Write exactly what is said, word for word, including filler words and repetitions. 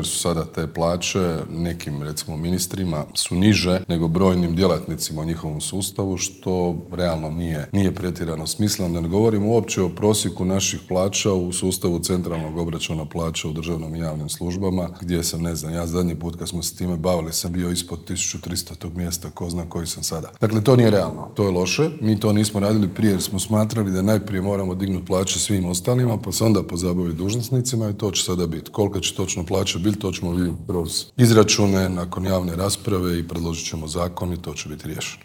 jer su sada te plaće nekim, recimo, ministrima su niže nego brojnim djelatnicima u njihovom sustavu, što realno nije, nije pretjerano smisleno. Da ne govorimo uopće o prosjeku naših plaća u sustavu centralnog obračuna plaća u državnom i javnim službama, gdje sam, ne znam, ja zadnji put kad smo se time bavili sam bio ispod tisuću tristo tog mjesta, ko zna koji sam sada. Dakle, to nije realno, to je loše. Mi to nismo radili prije jer smo smatrali da najprije moramo dignuti plaće svim ostalima, pa se onda pozabaviti dužnosnicima i to će sada biti. Kolika će točno plaća biti, to ćemo vidjeti kroz izračune nakon javne rasprave i predložit ćemo zakon i to će biti riješeno.